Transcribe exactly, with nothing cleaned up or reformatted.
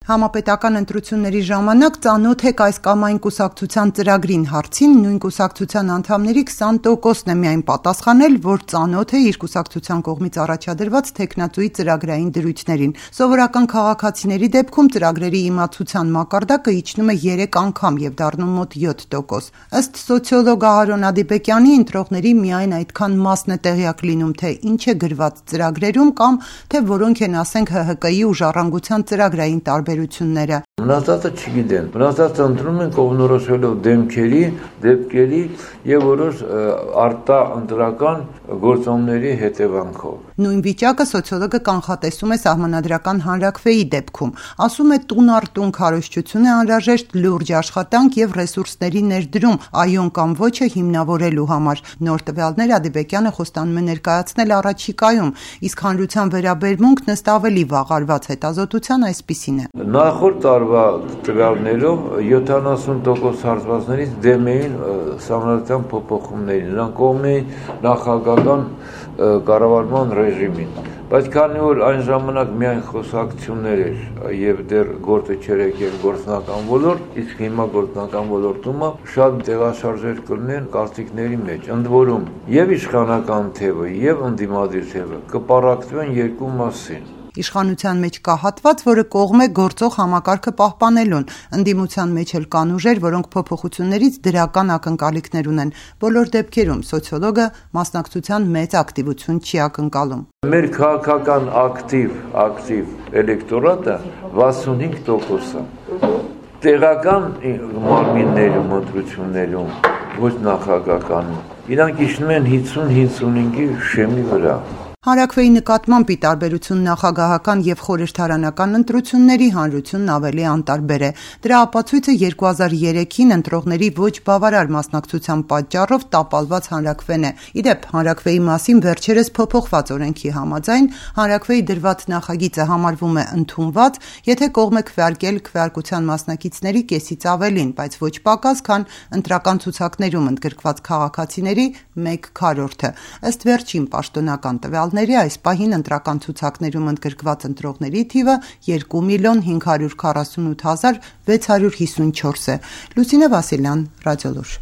Համապետական ընտրությունների ժամանակ ծանոթ եք այս կամ այն կուսակցության ծրագրին հարցին, նույն կուսակցության անդամների քսան տոկոսն է միայն պատասխանել, որ ծանոթ է իր կուսակցության կողմից առաջադրված թեկնածուի ծրագրային դրույթներին։ Սովորական քաղաքացիների դեպքում ծրագրերի իմացության մակարդակը իջնում է երեք անգամ եւ դառնում մոտ յոթ տոկոս։ Ըստ սոցիոլոգ Ահարոն Ադիբեկյանի, ընտրողների միայն այդքան մասն է տեղյակ լինում, թե ինչ է գրված ծրագրերում կամ թե որոնք են, ասենք, Հ Հ Կի ու Ժառանգության ծրագրային տարբերությունները։ Մնացածը չգիտեն, մնացածը ընտրում են կողմնորոշվելով դեմքերի, դեպքերի եւ որոշ արտա ընտրական գործոնների հետևանքով։ Նույն վիճակը սոցիոլոգը կանխատեսում է Սահմանադրական հանրաքվեի դեպքում։ Ասում է, տուն առ տուն քարոզչություն է անհրաժեշտ լուրջ աշխատանք եւ ռեսուրսների ներդրում այոն կամ ոչը հիմնավորելու համար։ Նոր տվյալներ Ադիբեկյանը խոստանում է ներկայացնել առաջիկայում, իսկ հանրության վերաբերմունքն ըստ ավելի վաղարված հետազոտության այսպիսին է։ Նախորդ տարվա տվյալներով յոթանասուն տոկոս հարցվածներից դեմ էին Սահմանադրական փոփոխումներին, նրանք կողմ էին նախագահական կառավարման ռեժիմին, բայց քանի որ այն ժամանակ միայն խոսակցություններ էր եւ դեռ գործը չէր եկել գործնական ոլորտ, իսկ հիմա գործնական ոլորտում շատ տեղաշարժեր կլինեն կարծիքների մեջ, ընդ որում եւ իշխանական թևը եւ ընդդիմադիր թևը կպարակվեն երկու մասին։ Իշխանության մեջ կա հատված, որը կողմ է գործող համակարգը պահպանելուն, ընդդիմության մեջ էլ կան ուժեր, որոնք փոփոխություններից դրական ակնկալիքներ ունեն։ Բոլոր դեպքերում սոցիոլոգը մասնակցության մեծ ակտիվություն չի ակնկալում։ Մեր քաղաքական ակտիվ, ակտիվ էլեկտորատը վաթսունհինգ տոկոս է։ Տեղական մարմիններում, ընտրություններում, ոչ նախագահական, իրանք իջնում են հինգսուն հինգսունհինգի շեմի վրա։ Հանրաքվեի նկատմամբ ի տարբերություն նախագահական եւ խորհրդարանական ընտրությունների հանրությունն ավելի անտարբեր է։ Դրա ապացույցը երկու հազար երեքին ընտրողների ոչ բավարար մասնակցության պատճառով տապալված հանրաքվեն է։ Իդեպ, հանրաքվեի մասին վերջերս փոփոխված օրենքի համաձայն հանրաքվեի դրված նախագիծը համարվում է ընդունված, եթե կողմ է քվեարկել քվեարկության մասնակիցների կեսից ավելին, բայց ոչ պակաս, քան ընտրական ցուցակներում ընդգրկված քաղաքացիների մեկ քառորդը։ Ըստ վերջին պաշտոնական տվյալների, այս պահին ընտրական ցուցակներում ընդգրկված ընտրողների թիվը երկու միլիոն հինգ հարյուր քառասունութ հազար վեց հարյուր հիսունչորս է։ Լուսինե Վասիլյան, Ռադիոլուր։